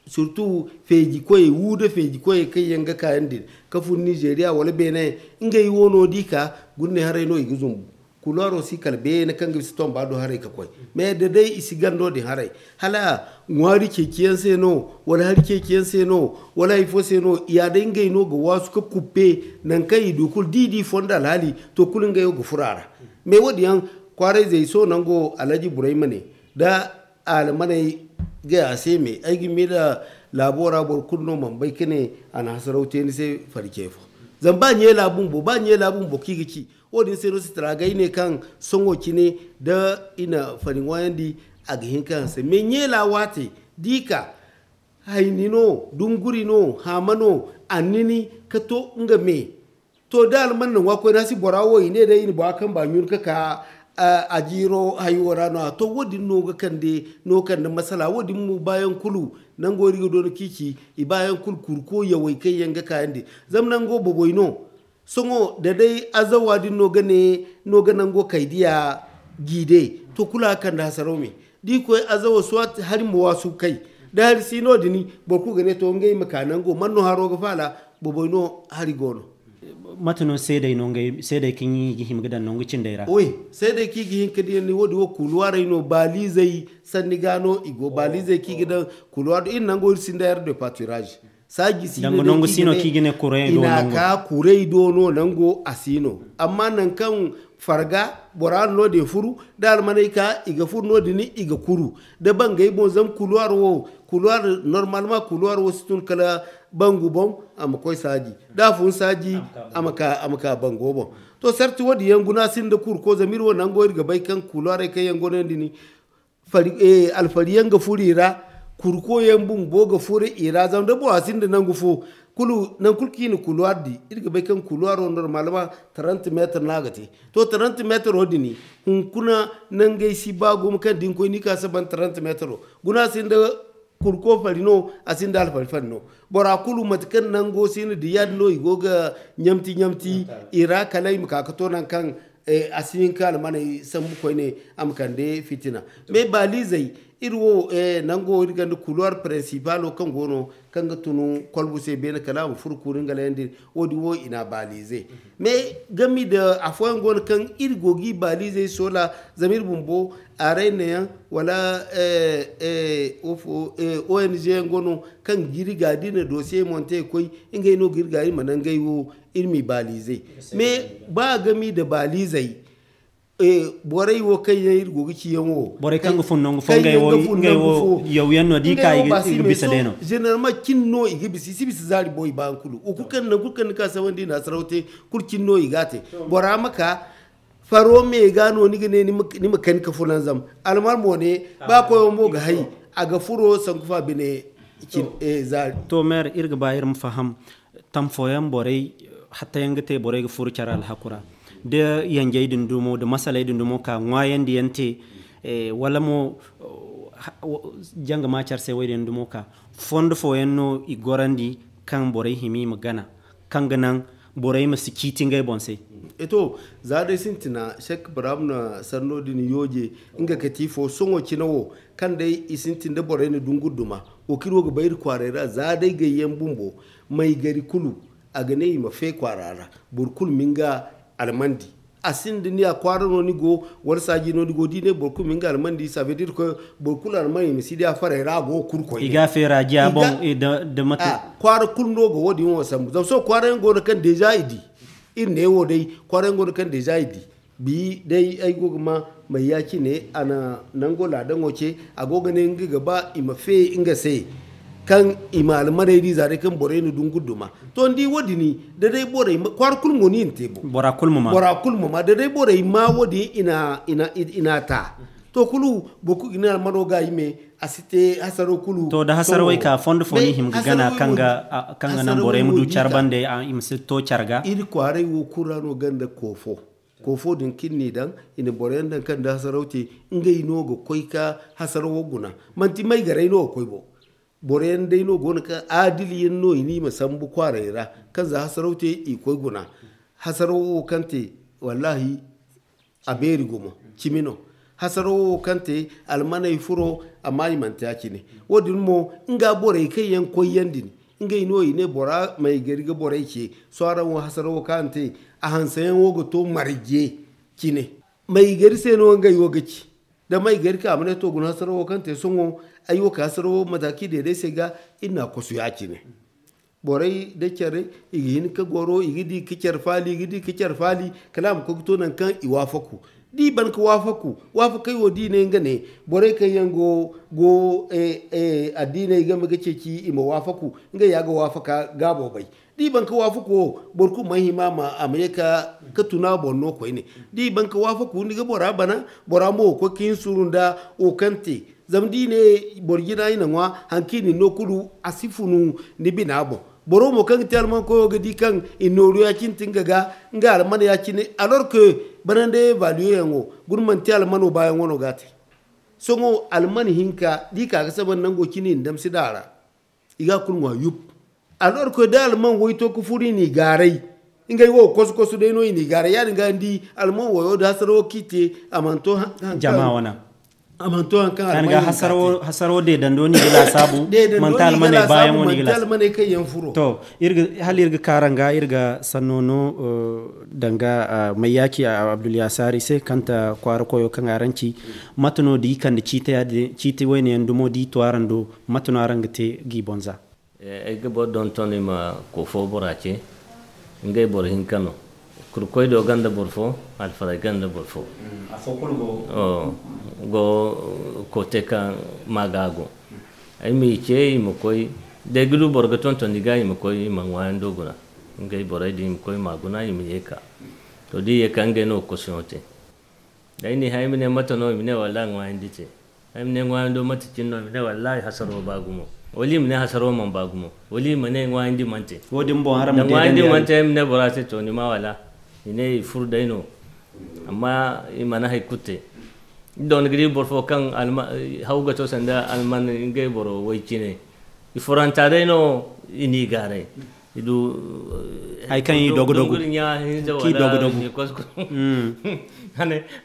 surtout feeji koyey wu nda feeji koyey kaŋ yaŋ ga kaayaŋ din ka fun nizeeriya wala beene ngey wo no da i ka gurne haray no i ga zumbu. Kuluwaro si kala beene kaŋ ga bisa tomba do haray ka koy mais da day i si gando din haray hala ŋwaari ceeciyaŋ se no wala hari ceeciyaŋ se no wala hari fo se no ya day ngey no ga waasu ka kuppe nangu kaŋ i du kulu da i di fondo alhaali to kulu ngey wo ga furo a ra. Mais wo- din yaŋ kwaarayzey sohõ nango alhaji burayma ne da almaney gay a se me ay ga miila laabo ra boro kulu no mana bay ka ne a na hasaraw te ni se fari ce fo. Zama ba ɲeela bumbo ba ɲeela bumbo kaŋ i ga ci wo- din se no sitara ga ay ne kaŋ sohõ cine da i na fari ŋwaayandi a ga hin ka hanse mais ɲeela waate da i ka hayni no dunguri no haama no annini ka to nga me. To da alman na ŋwa koyne a si bora wo i ne day i na bora kaŋ ba ɲun ka ka a jiiro hayo ra no- ya to wo- din no ga kande no kande masala wo- din mo baayaŋ kulu nango iri ga doona ciici i baayaŋ kulu kurko yawey kaŋ yaŋ ga kaayandi. Zama nango boboy no sohõ da day azawa din no ga ne no ga nango kaydiya jiide to kulu a ga kande hasaraw me da i koy azawa soit hari ma waasu kay da hari si no- din boro kulu ga ne to ngey ma ka nango man no haro ga faala. Boboy no hari go no. Mate no seedey no ngey seedey kaŋ i ga hima ga daŋ nangu cindey ra? Wi seedey kaŋ i ga hin ka di yaŋ ni wo- din wo kuluwarey no baalizey sanni ga no i go baalizey kaŋ i ga daŋ kuluwar do iri nango iri sinda yar de paturage saaji si no kaŋ i ga ne kuray do nango a si no. Amma nangu kaŋ farga bora no- din furu da almaney ka i ga furu no- din i ga kuru da bangey boŋ zama kuluwar wo kuluwar normal ma kuluwar wo si tun kala bangu boŋ a ma koy saaji da a fun saaji a ma ka bango boŋ. To sarti wo- din yaŋ guna sinda kurko zama iri wo nango iri ga bay kaŋ kuluwarey kaŋ yaŋ go no yaŋ din alfari yaŋ ga furo i ra. Kurko yaŋ bumbo ga furo i ra zama da bora sinda nangu fo kulu nangu kulu kaŋ i na kuluwar di iri ga bay kaŋ kuluwaro normal ma trente metre no a ga te. To trente metre wo- din hunkuna nangey si ba gumo kaŋ da ni koy ni ka saban trente metre wo guna sinda kurko fari no a sinda alfari fari no. Bora kulu mate kaŋ nango si na di ya- din no i go ga ɲamti ɲamti i ra kala i ma ka ga to nangu kaŋ a si hin ka almaney sambu koyne a ma kande fitina. Mais baalizey iri wo nango iri ganda couloir principalo kaŋ go no kaŋ ga tun kolbu se beene kala a ma furo kuuri nga layandi. Wo- din wo i na a baalize mais game nda afooyaŋ go no kaŋ iri go ga i baalizey soola zama iri bumbo arayna yaŋ wala ong yaŋ go no kaŋ ga iri ga da i na dosiye monte ga koy ngey no ga iri ga iri ma naŋ ngey wo iri m'i baalize. Mais ba game nda baalizey borey wo kaŋ yaŋ iri go ga ci yaŋ wo borey kaŋ ga fun nangu fo ngey wo yaw yaŋ no da i ka i ga bisa day no. Généralement cin no i ga bisa i si bisa zaari bo i ba yaŋ kulu wo kulu kaŋ nangu kulu kaŋ ni ka sabandi i na a saraw te kulu cin no i ga a te. Bora ma ka faro me ga no ni ga ne ni ma kani ka fulanzam almar mo ne ba koyo mo ga hay a ga furo sanku fa bine. Zaari. To maire iri ga ba iri ma faham tam fooyaŋ borey hatta yaŋ ga te borey ga furo care alhaku ra da yanjey din dumo da masaley din dumo ka ŋwaayandi yaŋ te wala mo janga ma care se wo- din dumo ka fondo fooyaŋ no i gorandi kaŋ borey hima i ma gana kaŋ ga naŋ borey ma si ciiti ngey boŋ se. Eto za day sintina sek baraam na sanno din yooje nga ga ti fo sohõ cine wo kaŋ day i sintin da borey na dunguri duma wo kaŋ iri wo ga bay iri kwaaray ra za day gayyaŋ bumbo may gari kulu A ga ne i ma fe kwaara ra, boro kulu ma nga almandi. A sinda ni a kwaara no ni go, wala saaji no ni go, da i ne boro kulu ma nga almandi, ça veut dire que boro kulu alman i ma si di a farey ra, a go ga kuru koyne. I ga a feera jiya boŋ. Da mate. Kwaara kulu no ga wo- din wo sambu zama sohõ kwaara yaŋ go no kaŋ déjà i di. Iri ne wo day kwaara yaŋ go no kaŋ déjà i di. Bi day ay go ga ma may ya cine a na nango laadaŋo ce. A go ga ne nga ga ba i ma fe nga se, kaŋ i ma almaney di za day kaŋ borey na du nga duma. To ni di wo- din, da day borey kwaara kulu mo ni na te bo. Bora kulu ma ma da day borey ma wo- din i na ta. To kulu boro kulu ga ne almano ga i me. A si te hasaro kulu. To da hasarawey ka fondo fo ni hima ga gana kaŋ ga naŋ borey ma du care bande i ma si to care ga. Iri kwaaray wo kulu ra no ganda koofo. Koofo din kaŋ ni daŋ, i na boro yaŋ daŋ kaŋ da hasaraw te. Ngey no ga koy ka hasarawo guna. Manti may garay no ga koy bo. Boro yaŋ day no go no kaŋ aadili yaŋ no i ni ma sambu kwaaray ra, kaŋ za hasaraw te i koy guna. Hasarawo wo kaŋ te, wallahi, a beeri gumo. Cimi no. Hasarawo wo kaŋ te, almaney furo, amma i mana te a cine. Wo- din mo nga borey kaŋ yaŋ koy yaŋ din, ngey no i ne bora may gari ga borey ce. Sohõ araŋ wo hasarawo kaŋ a na te, a hanseyaŋo ga to marje cine. May gari se no ngey wo ga ci. Da may gari ka a ma ne to guna hasarawo kaŋ te sohõ, ay wo ka hasarawo mataki deedey se ga. Iri na a kosu ya- cine. Borey da care i ga hin ka goro, i ga di ka care faali, i ga di ka care faali. Kala a ma koy ga to nangu kaŋ i waafaku. Da i ban ka waafaku, waafakey wo da i ne nga ne, borey kaŋ yaŋ go go addiiney game ga ceeci i ma waafaku. Ngey ya ga waafaka gaabo bay. Da i ban ka waafaku wo, boro kulu mana hima a ma ye ka tuna boŋ no koyne. Da i ban ka waafaku ni ga bora bana. Bora mo ga koy ka hin suuru nda wo kaŋ te. Zama da i ne boro jina i na ŋwa, hari kaŋ i na ni no kulu, a si funu ni bina boŋ. Boro mo kaŋ ga te alman koyo ga di kaŋ i na nooru ya- cine te nga ga, nga alman ya- cine. Alors que banande evaluer yaŋo guna manti almano baayaŋo no ga a te. Sohõ alman hinka da i ka ga saba nango cine i na damsi da a ra. I ga a kulu ŋwa yup. Alors que da alman way to ka furu i n'i gaaray. Ngey wo kosu-kosu day no i n'i gaaray ya- din ga ni di alman wayo da hasarawo kaŋ i te. A mana to jama wana. A mana to hari kaŋ alman hinka te. Hasarawo deedando no i ga laasaabu. Manti almaney baayaŋo no i ga laasaabu. To, hala iri ga kaaraŋ ga iri ga sanno no danga mayyaaci abdulyasaari se kaŋ ta kwaara koyo kaŋ araŋ ci. Mate no da i kande ciiti wayne yaŋ dumo da i to araŋ do? Mate no araŋ ga te g'i boŋ za? Ay ga boro donton i ma koofo bora ce. Ngey boro hinka no. Kurkoy do ganda boro fo. Alfaray ganda boro fo. Go kote kaŋ ma ga go. Ay m'i ce i ma koy. Da ay ga du boro ga tonton i ga i ma koy i ma ŋwaayaŋ do guna. Ngey borey din i ma koy i ma guna i ma ye ka. To da i ye ka ngey no ga kosuyaŋo te. Day ni hay ma ne mate no i ma ne wallaahi ŋwaayandi te. Ay ma ne ŋwaayando mate cine no i ma ne wallaahi hasaro ba gumo. Wala i ma ne hasaro man ba gumo. Wala i ma ne ŋwaayandi mante. Wo- din boŋ haram da ŋwaayandi mante ay ma ne bora se to ni ma wala. I ne i furu day no. Amma i mana hay kutte. Don gidi boro fo kaŋ haw ga to sanda alman ngey boro way cine. I furanta day no i n'i gaaray. I du hay kaŋ i dogo dogo. Kaŋ i dogo dogo.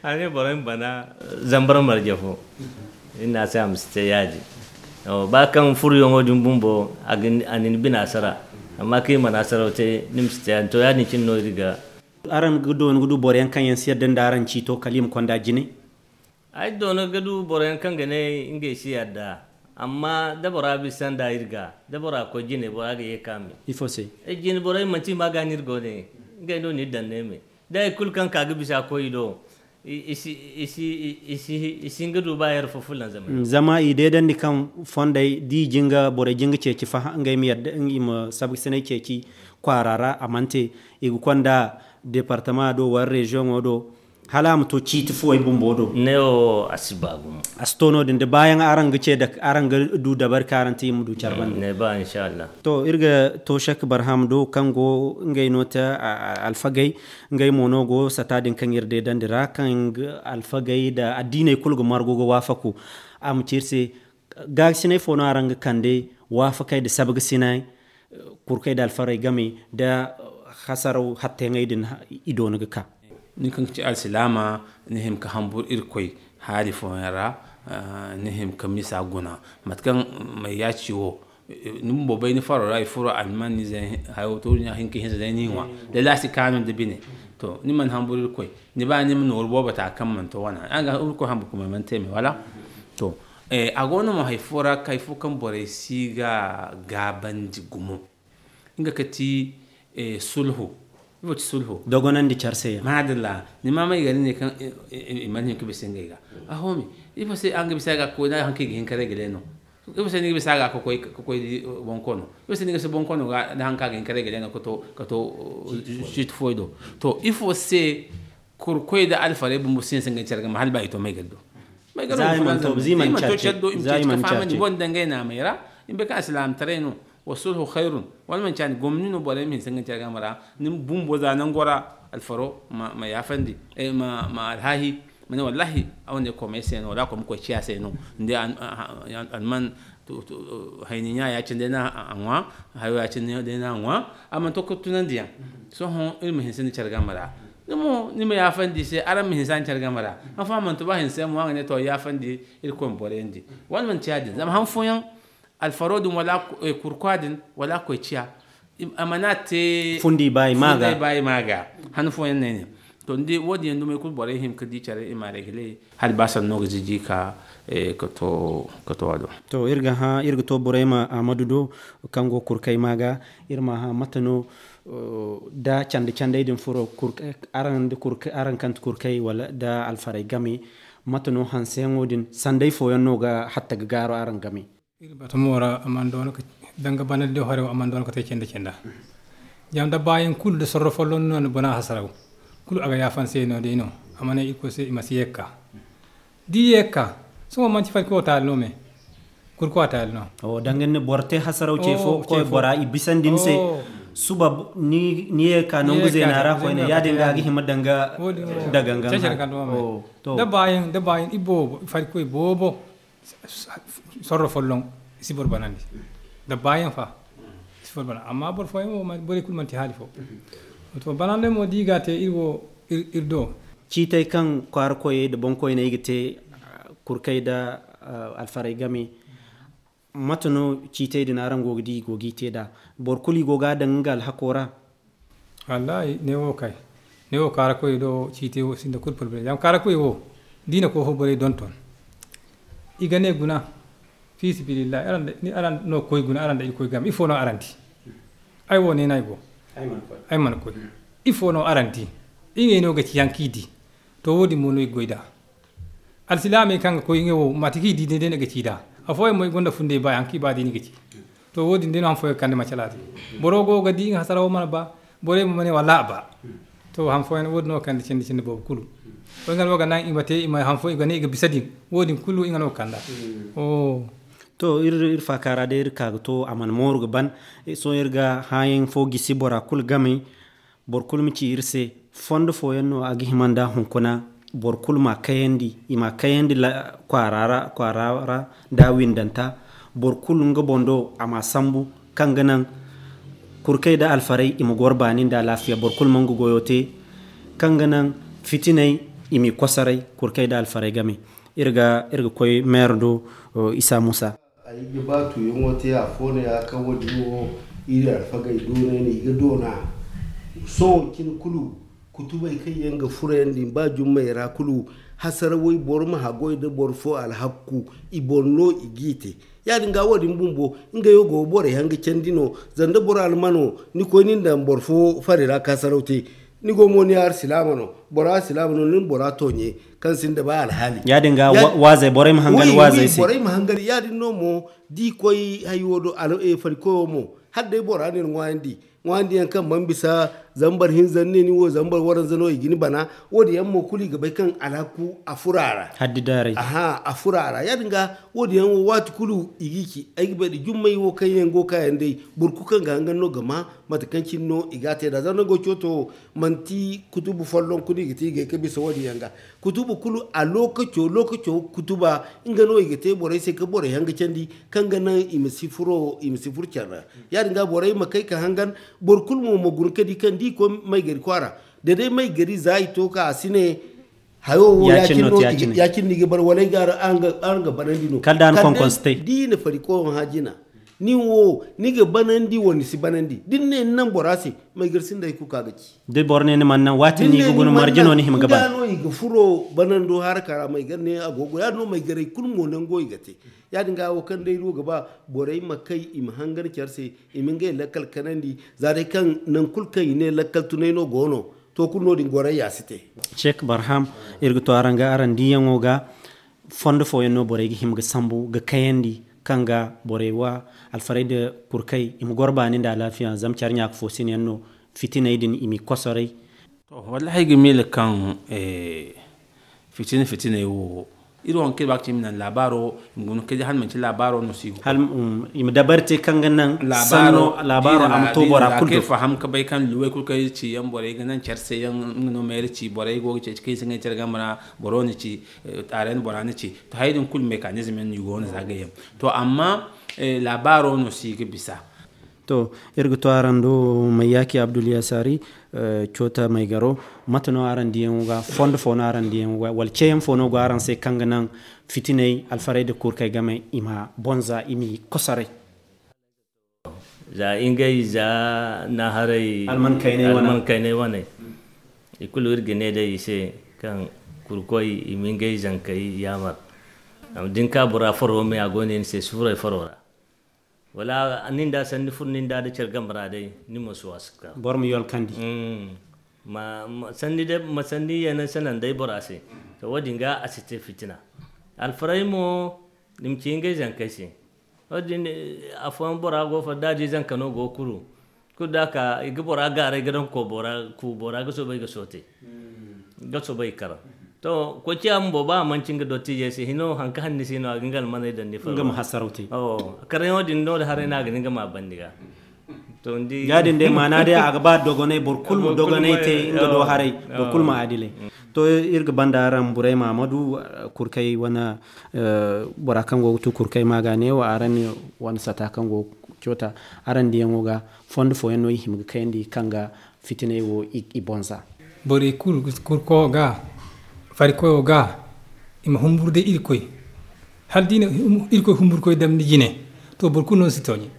Hane boro ma bana zambar marje fo. Ina se a ma si te yaadi. Ba kaŋ furuyaŋo din bumbo a nin bina sara. Amma kaŋ i mana saraw te ni ma si te yaadi to yaadin cine no iri ga. Araŋ ga dooni ga du boro yaŋ kaŋ yaŋ si yadda nda araŋ ciito kala i ma konda jine. Ay doono ga du boro yaŋ kaŋ ga ne ngey si yadda. Amma da bora bisa nda iri ga da bora koy jine bora ga ye ka me. Ifo se? Jine borey manti i ma ga no iri go ne. Ngey no ni daŋ ne me da hari kulu kaŋ ka ga bisa koy i do. I si hin ga du ba yar fo fulanzamay. Zama i deedandi kaŋ fondey da i jinga borey jinga ceeci faha ngey ma yadda i ma sabgasinay ceeci kwaara ra a mana te. I ga konda departama do wala reziyoŋo do. Hala a ma to ciiti fuwey bumbo do. Ne wo a si ba gumo. A si to no- din da baayaŋ araŋ ga ce araŋ ga du dabari kaŋ araŋ te i ma du care bande. Ne ba inshallah. To iri ga to shek barham do kaŋ go ngey no te alfagey. Ngey mo no go sata din kaŋ iri deedandi ra kaŋ alfagey nda addiiney kulu ga margu ga waafaku. A ma ci iri se gaakasinay fo no araŋ ga kande waafakey nda sabgasinay? Kurkey nda alfarey game nda hasaraw hatteyaŋey din i doona ga ka. Nin kaŋ ga ci alsilaama ni hima ka hambur irkoy haali fooyaŋ ra. Ni hima ka misa guna mate kaŋ mayyaaci wo Ni bumbo bay ni faro ra, i furo alman ni zay hayo to, ni hinka hinza day ni ŋwa. Da lasi kanu da bine. To, ni man hamburu Irkoy. Ni ba ni ma nooru boobo ta kaŋ man to wana. Araŋ ga Irkoy hamburu kuma man te me, wala? To, eh, a go no mo hay fo ra, hay fo kaŋ borey si ga gaabandi gumo. Nga ka ti, eh, sulhu. Ifo ti sulhu? Dogonandi care se yaŋ. Madalla. Ni ma may gari ne kaŋ, eh, eh, eh, i man hin ka bisa ngey ga. A ho me. Ifo se araŋ ga bisa ga koy, da haŋ kaŋ i ga hin ka regle no. Ifo se ni ga bisa ga ka koy, ka koy di, eh, bonkoono? Ifo se ni ga bisa bonkoono ga, da haŋ kaŋ a ga hin ka regle no ka to, ka to, eh, site foy do? To, ifo se kurkoy da alfarey bumbo si hin se ngey care game hala ba i to may gari do? May gari do, i man to care do, i ma te ka fahamandi, i boŋ dangay naamay ra, i ma bay kaŋ alsilaamataray no. Wa sulhu khayrun. Wala manci a ne gomni no borey ma hinse nga care game ra? Ni bumbo za nango ra alfaro ma, ma yaafandi, eh, ma, ma alhaahi, ma ne wallahi a wane koomey se no, wala a koy ma koy ciya se no. Ni di alman hayni ɲa ya-cine day no a ŋwa, hayo ya-cine day no a ŋwa. A mana to ka tunandiyaŋ. Sohõ iri ma hinse ni care game ra. Ni mo ni ma yaafandi i se, araŋ ma hinse a ni care game ra. Haŋ fo a mana to ba hinse mo a ga ne to yaafandi, Irkoy ma borayandi. Wala manci ya-din zama haŋ fooyaŋ alfaro din wala kurkwa din wala koy ciya. A mana te fundi baayi ma ga. Han fooyaŋ no ay ne. To ni di wo- din yaŋ dumey kulu borey hima ka di care i ma regle hala ba sanno ga ziji ka, eh, ka to ka to a do. To iri ga hã iri ga to borey ma amadu do kaŋ go kurkay ma ga. Iri ma hã mate no da candi candey din furo araŋ kaŋ ti kurkay wala da alfaray game. Mate no hanseyaŋo din sanday fooyaŋ no ga hatta ga gaaro araŋ game? Iri batumo ra a mana doona ka danga banandi do hare wo a mana doona ka te cende cenda. Zama da baayaŋ kulu da sorro folloŋ no na bona hasaraw kulu a ga yaafan se no day no. A ma ne irkoy se i ma si ye ga ka da i ye ga ka. Sohõ manti farki wo taali no me kurku a taali no. Danga ni boro te hasaraw ce fo koy bora i bisandi ni se. Suba ni ye ga ka nangu zeena ra koyne ya- din ga a ga hima danga da gangan. Da baayaŋ da baayaŋ i boobo farikoy boobo. Sorro folloŋ i si boro banandi. Da baayaŋ fa i si boro banandi amma boro fooyaŋ wo borey kulu manti haali fo. To banandey mo da i ga a te iri wo iri do. Ciitey kaŋ kwaara koyey nda boŋkoyney ga te kurkey nda alfarey game. Mate no ciitey din araŋ go ga di i go g'i te nd'a? Boro kulu i go ga a daŋ nga alhako ra? Wallahi ne wo kay ne wo kaara koy do ciite wo sinda kulu problème zama kaara koy wo da i na koy fo borey donton. I ga ne guna fi sabilillahi araŋ no koy guna araŋ da irkoy game ifo no araŋ di? Ay wo ne no ay go ay mana koy. Ifo no araŋ di? Ngey no ga ci yaŋ kaŋ i di. To wo- din mo no i ga goy nd'a. Alsilaamey kaŋ ga koy ngey wo mate kaŋ i di day day no ga ci nd'a. Afooyaŋ mo i gonda fundey ba yaŋ kaŋ i ba day no i ga ci. To wo- din day no han fooyaŋ ga kande macalaate. Boro go ga di nga hasarawo mana ba. Borey mo ma ne wallaahi a ba. To han fooyaŋ wo- din no ga kande cindi cindi boobo kulu. Wo nga no ga naŋ i ma te i ma han fooyaŋ i ga ne i ga bisa din. Wo- din kulu nga no ga kand'a. To iri faaka ra day iri ka ga to a mana mooru ga ban. Sohõ iri ga hãayaŋ fo gisi bora kulu game. Boro kulu ma ci iri se fondo fooyaŋ no a ga hima nd'a hunkuna. Boro kulu m'a kayandi i m'a kayandi kwaara ra kwaara ra. Nda windanta boro kulu nga boŋ do a m'a sambu kaŋ ga naŋ kurkey nda alfarey i ma goro baani nda alaafiya boro kulu ma nga goyo te. Kaŋ ga naŋ fitiney i m'i kosoray kurkey nda alfarey game. Iri ga koy meero do. Isa muusa. Ay ga ba tuuyaŋo te afo no ya kaŋ wo- din wo iri alfagey doonay no i ga doona. Sohõ cine kulu kutubey kaŋ yaŋ ga furayandi ba jummey ra kulu. Hasarawey boro ma haggoy nda boro fo alhakku i boŋ no i g'i te. Ya- din ga wo- din bumbo ngey wo go ga borey haŋ ga candi no. Zama da boro almano ni koy ni na daŋ boro fo fari ra ka saraw te. Ni go mo ni alsilaama no bora alsilaama no ni na bora tooɲe kaŋ sinda ba alhaali. Ya- din ga waazey borey ma hangan waazey se. Borey ma hangan ya- din no mo da i koy hayo do farikoyo mo hala day bora no ni ŋwaayandi. Ŋwaayandi yaŋ kaŋ mana bisa zambar hinza ni ne ni wo zambar waranza no i ga ni bana. Wo- din yaŋ mo kulu i ga bay kaŋ alhaku a furo a ra. Haddi daarey. Aha a furo a ra ya- din ga wo- din yaŋ wo waati kulu i g'i ci ay ga bay da jummey wo kaŋ yaŋ go ga ka yaŋ day. Boro kulu kaŋ ga hangan no ga ma mate kaŋ cine no i ga a te nd'a zama nango cooto manti kutubu folloŋ kulu i ga te i ga ye ka bisa wo- din yaŋ ga. Kutubu kulu a lookaco lookaco kutuba nga no i ga te borey se ka borey haŋ ga candi kaŋ ga naŋ i ma si furo i ma si furo care ra. Ya- din ga borey ma kay ka hangan boro kulu mo ma guna ka di kaŋ da i koy may gari kwaara da day may gari za i to ka a si ne hayo wo ya- cine no i ga bare wala ay ga araŋ ga banandi no kala da a na konkonse te da i na fari koyo hã jina. Nin wo, ni ga banandi wala ni si banandi? Da ni ne ni naŋ bora se, maygar sinda hay kulu kaŋ a ga ci. Da boro ne ni mana naŋ, waati ni ga guna marje no ni hima ga ba. Nga no i ga furo banando haraka ra, maygar ne a go ga goy. Ya-din no maygaray kulu mo nango i ga te. Ya-din ga wo kaŋ day iri wo ga ba borey ma kay, i ma hangan care se, i ma ngey lakkal kanandi. Za day kaŋ nangu kulu kaŋ i ne lakkal tunay no go no, to kulu no-din gorayya si te. Sheik Barham, iri ga to araŋ ga araŋ diyaŋo ga. Fondo fooyaŋ no borey ga hima ga sambu ga kayandi, kaŋ ga borey wa alfaray nda kurkay i ma goro baani nda alaafiya, zama care ɲaaka fo sinayaŋ no, fitiney din i m'i kosoray. To, wallahi ay ga miila kaŋ, eh, fitina fitiney wo, iri wo haŋ kaŋ iri ba ga ci i ma naŋ laabaaro, i ma guna kay day hala manti laabaaro no si go. Hal, um, i ma dabari te kaŋ ga naŋ sanno laabaaro a ma to bora kulu do. Faham ga bay kaŋ luwey kulu kaŋ iri ci yaŋ borey ga naŋ care se yaŋ, nga no ma iri ci borey go ga ceeci kaŋ i si ngey care game ra, boro na ci, eh, taarey na bora na ci. To, hay din kulu mekanizm yaŋ no i go no za ga yaŋ. To, amma, eh, laabaaro no si ga bisa. To, iri ga to araŋ do Mayyaaki Abdul Yasari, eh, Coota Maygaro. Mate no araŋ diyaŋo ga, fondo fo no araŋ diyaŋo ga, wala ceeyaŋ fo no go araŋ se kaŋ ga naŋ fitiney, alfaray nda kurkay game i ma bonza, i m'i kosoray? Za ingay, za naharay, alman kaynay wane. Alman kaynay wane. I kulu iri ga ne day i se kaŋ kurkoy i ma ingay zankey yaamar. Amma da ni ka bora faro me, a go ne ni se sufuray faro ra. Wala nin da sanni furo nin da, da care game ra day, ni ma si waasi ka. Boro ma yolkandi. Mm. Ma, ma sanni day, ma sanni yeena sanandey bora se. To, wo-din ga a si te fitina. Alfaray mo, i ma ci ngey zankey se. Wo-din, eh, afooyaŋ bora go fa, da a di zanka no go kuru. Kulu da a ka, i ga bora gaaray ga daŋ koobora, koobora ga soobay ga soote. Ga soobay kar. To, koociya bumbo, ba a manci nga dottiijey se, hino, haŋ kaŋ hanni si no, a ga nga almaney daŋ ni faro. Nga ma hasaraw te. Awo, karyaŋo din no da haray no a ga ni nga ma bandi ga. To, ni di. Ya-din day, maana day, a ga ba dogonay, boro kulu ma dogonay te, nga do haray, boro kulu ma adilay. To, iri ga banda araŋ Burayma Amadu, eh, kurkay wane, eh, bora kaŋ go ga tu kurkay ma ga ne wo, araŋ ne wane sata kaŋ go ga coota, araŋ diyaŋo ga, fondo fooyaŋ no i hima ga kayandi kaŋ ga fitiney wo i, i bonza. Borey kulu, kurko ga, farikoyo ga, i ma humburu day Irkoy. Hala da i na hum-, Irkoy humburkoy dam ni jine, to, boro kulu no si tooɲe.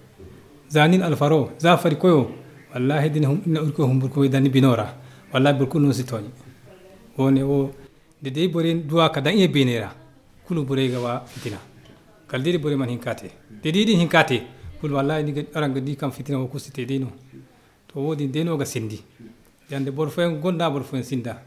Za nin alfaro, za farikoyo, wallahi da ni hum-, na Irkoy humburkoy dam ni bino ra, wallahi boro kulu no si tooɲe. Wo-ne wo, da day borey duwa ka daŋ i beeney ra, kulu borey ga ba fitina. Kala day da borey mana hin ka te. Da day da i hin ka te, kulu wallahi ni ga, araŋ ga di kaŋ fitina wo kulu si te day no. To, wo-din day no ga sindi. Yanda boro fooyaŋ gonda, boro fooyaŋ sinda.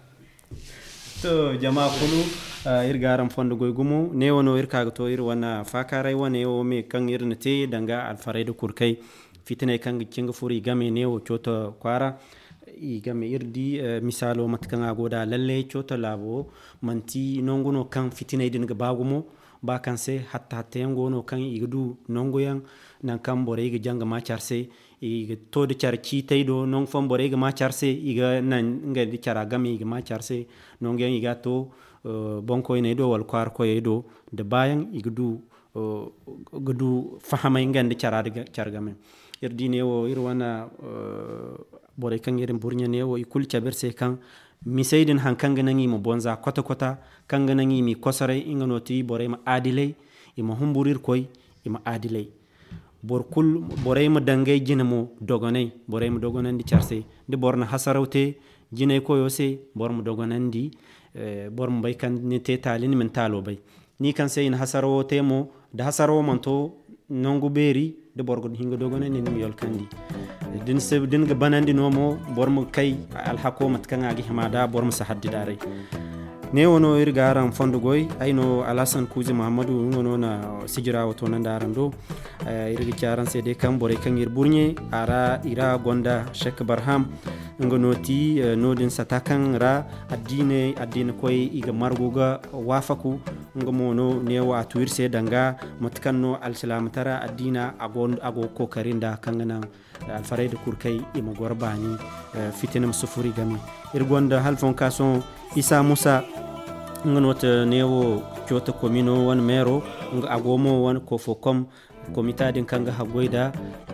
To, jama kulu, ah, iri ga araŋ fondo goy gumo. Neewo no iri ka ga to iri wane faakaaray wane wo me kaŋ iri na te danga alfaray nda kurkay. Fitiney kaŋ ga ci ga furo i game neewo Coota kwaara. I game iri di, eh, misaalo mate kaŋ a go da lalle Coota laabo manti nangu no kaŋ fitiney din ga ba gumo. Ba kaŋ se hatta hatta yaŋ go no kaŋ i ga du nangu yaŋ, nangu kaŋ borey ga jaŋ ga ma care se. I ga to da care ciitay do, nangu fooyaŋ borey ga ma care se, i ga naŋ ngey nda cara game, i ga ma care se. Nangu yaŋ i ga to, eh, boŋkoyney do wala kwaara koyey do, da baayaŋ i ga du, eh, ga du fahamay ngey nda cara, care game. Iri di neewo, iri wane, eh, borey kaŋ iri burɲe neewo, i kulu cabe iri se kaŋ misey din haŋ kaŋ ga naŋ i ma bonza kwata-kwata, kaŋ ga naŋ i m'i kosoray, nga no ti borey ma adilay, i ma humburu Irkoy, i ma adilay. Boro kulu, borey ma dangay jine mo dogonay, borey ma dogonandi care se. Da boro na hasaraw te jinay koyo se, boro ma dogonandi, eh, boro ma bay kaŋ ni te taali, ni ma ni taalo bay. Ni kaŋ se i na hasarawo te mo, da hasarawo mana to nangu beeri, da boro ga hin ga dogonandi, ni ma yolkandi. Da ni se, da ni ga banandi no mo, boro ma kay alhako mate kaŋ a ga hima da, boro ma si haddi daaray. Neewo no iri ga araŋ fondo goy. Ay no Alhassan Kuuzi Muhammadu, nga no na sijira wo toonandi araŋ do. Eh, iri ga ci araŋ se day kaŋ borey kaŋ iri burɲe a ra, i ra gonda Sheikh Barham. Nga no ti, eh, noodin sata kaŋ ra addiiney, addiina koy i ga margu ga waafaku. Nga mo no neewo a tu iri se danga mate kaŋ no alsilaamataray addiina a go, a go kookari nda kaŋ ga naŋ alfaray nda kurkay i ma goro baani, eh, fitina ma si furo i game. Iri gonda halfonka sohõ Isa Musa, nga no ti neewo Coota komino wane meero, nga a go mo wane Kofokom komita din kaŋ ga haggoy nda,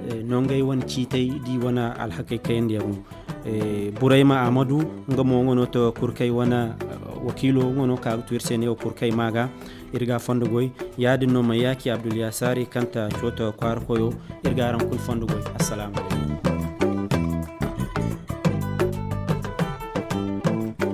eh, nongey wane ciitey da i wane alhakey kayandiyaŋo. Eh, Burayma Amadu, nga mo nga no ti kurkay wane, eh, wakiilo, nga no ka ga tu iri se neewo kurkay ma ga. Iri ga a fondo goy. Yaadin no ma yaaci abdul yasaari kanta coota kwaara koyo. Iri ga araŋ kulu fondo goy. Assalaamu alaykum.